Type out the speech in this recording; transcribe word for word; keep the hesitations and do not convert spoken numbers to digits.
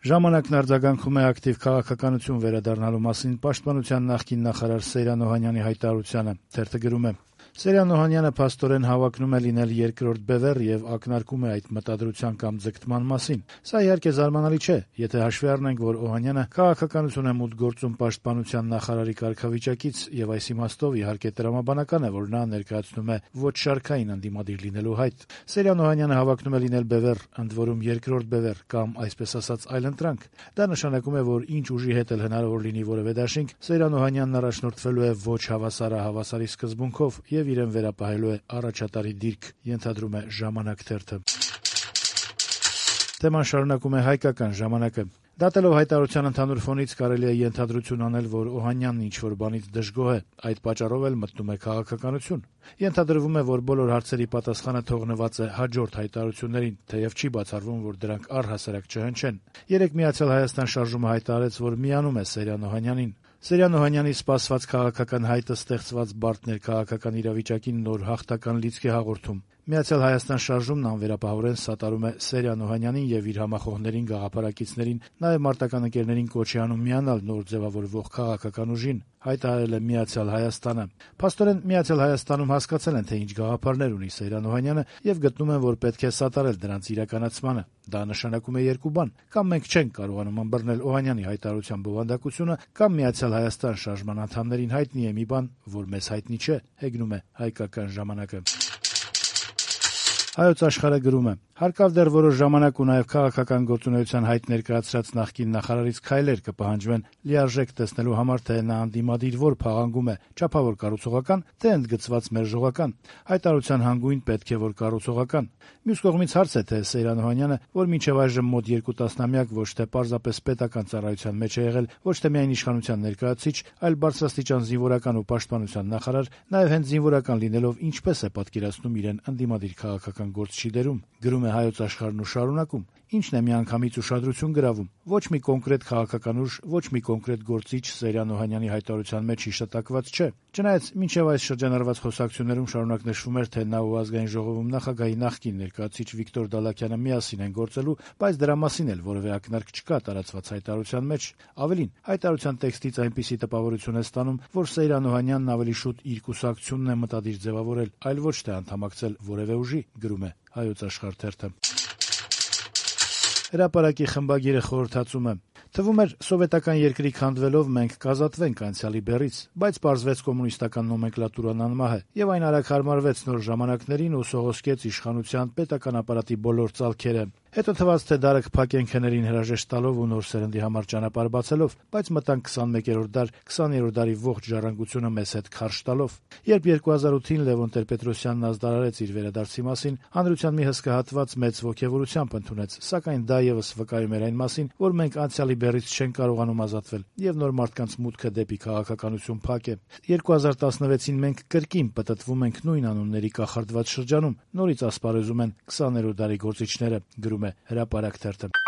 Ժամանակն արձագանքում է ակտիվ քաղաքականություն վերադառնալու մասին պաշտպանության նախկին նախարար Սեյրան Օհանյանի հայտարարությանը։ Թերթը գրում է. Սեյրան Օհանյանը փաստորեն հավակնում է լինել երկրորդ բևեռ եւ ակնարկում է այդ մտադրության կամ ձգտման մասին։ Սա իհարկե զարմանալի չէ, եթե հաշվի առնենք, որ Օհանյանը քաղաքականություն է մուտք գործում պաշտպանության նախարարի կարգավիճակից եւ այս իմաստով իհարկե տրամաբանական է, որ նա ներկայացնում է ոչ շարքային ընդդիմադիր լինելու հայտ։ Սեյրան Օհանյանը հավակնում է լինել բևեռ, ընդ որում երկրորդ բևեռ կամ այսպես ասած այլընտրանք։ Դա նշանակում է, որ ինչ ուժի հետ էլ հնարավոր լինի որևէ դաշինք, Սեյրան Օհանյանն առաջնորդվելու է ոչ հավասարը հավասարի սկզբունքով եւ իրեն վերապահելու է առաջատարի դիրք, ենթադրում է «Ժամանակ» թերթը։ Թեման շարունակում է «Հայկական ժամանակը»։ Դատելով հայտարարության ընդհանուր ֆոնից կարելի է ենթադրություն անել, որ Օհանյանն ինչ-որ բանից դժգոհ է, այդ պատճառով էլ մտնում է քաղաքականություն։ Ենթադրվում է, որ բոլոր հարցերի պատասխանը թողնված է հաջորդ հայտարարություններին, թեև չի բացառվում, որ դրանք առհասարակ չհնչեն։ Երեկ Միացյալ Հայաստան շարժումը հայտարարեց, որ միանում է Սեյրան Օհանյանին։ Սեյրան Օհանյանի սպասված քաղաքական հայտը ստեղծված բարդ ներքաղաքական իրավիճակին նոր հաղթական լիցք է հաղորդում։ Միացյալ Հայաստան շարժումն անվերապահորեն սատարում է Սեյրան Օհանյանին եւ իր համախոհներին, գաղափարակիցներին, նաեւ մարտական ընկերներին կոչի անում միանալ նոր ձևավորվող քաղաքական ուժին, հայտարարել է Միացյալ Հայաստանը։ Փաստորեն Միացյալ Հայաստանում հասկացել են, թե ինչ գաղափարներ ունի Սեյրան Օհանյանը եւ գտնում են, որ պետք է սատարել դրանց իրականացմանը։ Դա նշանակում է երկու բան. կամ մենք չենք կարողանում ըմբռնել Օհանյանի հայտարարության բովանդակությունը, կամ Միացյալ Հայաստան շարժման անդամներին հայտնի է մի բան, որ մեզ հայտնի չէ, հեգնում է «Հայկական ժամանակը»։ Հայոց Աշխարհը գրում է. հարկավ դեռ որոշ ժամանակ ու նաև քաղաքական գործունեության հայտ ներկայացրած նախկին նախարարից քայլեր կպահանջվեն լիարժեք տեսնելու համար, թե նա անդիմադիր որ փաղանգում է, չափավոր կառուցողական, թե ընդգծված մերժողական։ Հայտարարության հանգույն պետք է որ կառուցողական։ Մյուս կողմից հարց է, թե Սեյրան Օհանյանը, որ մինչև այժմ մոտ երկու տասնամյակ ոչ թե պարզապես պետական ծառայության մեջ է եղել, ոչ թե միայն իշխանության ներկայացուցիչ, այլ բարձրաստիճան զինվորական ու պաշտպանության նախարար, նաև հենց զինվորական լինելով ինչպես է պատկերացնում իրեն ընդդիմադիր քաղաքական գործչի դերում։ Գրում է Հայոց Աշխարհն ու շարունակում. Ինչն է միանգամից ուշադրություն գրավում։ Ոչ մի կոնկրետ քաղաքական ուժ, ոչ մի կոնկրետ գործիչ Սեյրան Օհանյանի հայտարարության մեջ հիշատակված չէ։ Չնայած մինչև այս շրջանառված խոսակցություններում շարունակ նշվում էր, թե նա ու Ազգային ժողովում նախագահի նախկին ներկայացուցիչ Վիկտոր Դալաքյանը միասին են գործելու, բայց դրա մասին էլ որևէ ակնարկ չկա տարածված հայտարարության մեջ։ Ավելին, հայտարարության տեքստից այնպիսի տպավորություն է ստանում, որ Սեյրան Օհանյանն ավելի շուտ իր կուսակցությունն է մտադիր ձևավորել, այլ ոչ թե անդամակցել որևէ ուժի, գրում է Հայոց Աշխարհ թերթը։ Հրապարակի խմբագիրը խորհրդածում է. թվում էր սովետական երկրի քանդվելով մենք կազատվենք անցյալի բեռից, բայց պարզվեց կոմունիստական նոմենկլատուրան անմահ է, եւ այն արագ հարմարվեց նոր ժամանակներին ու սողոսկեց իշխանության պետական ապարատի բոլոր ծալքերը։ Հետո թվաց, թե դարը կփակեն քներին հրաժեշտ տալով ու նոր սերնդի համար ճանապարհ բացելով, բայց մտանք քսանմեկերորդ դար, քսաներորդ դարի ողջ ժառանգությունը մեզ հետ քարշ տալով։ Երբ երկու հազար ութին Լևոն Տեր-Պետրոսյանն ազդարարեց իր վերադարձի մասին, հանրության մի հսկա հատված մեծ ոգևորությամբ ընդունեց, սակայն դա եւս վկայում էր այն մասին, որ մենք անցյալի բեռից չեն կարողանում ազատվել, եւ նոր մարդկանց մուտքը դեպի քաղաքականություն փակ է։ երկու հազար տասնվեցին մենք կրկին պտտվում ենք նույն անունների կախարդված շրջանում, նորից ասպարեզում են քսաներորդ դարի գործիչները, գրում է Հրապարակ թերթը։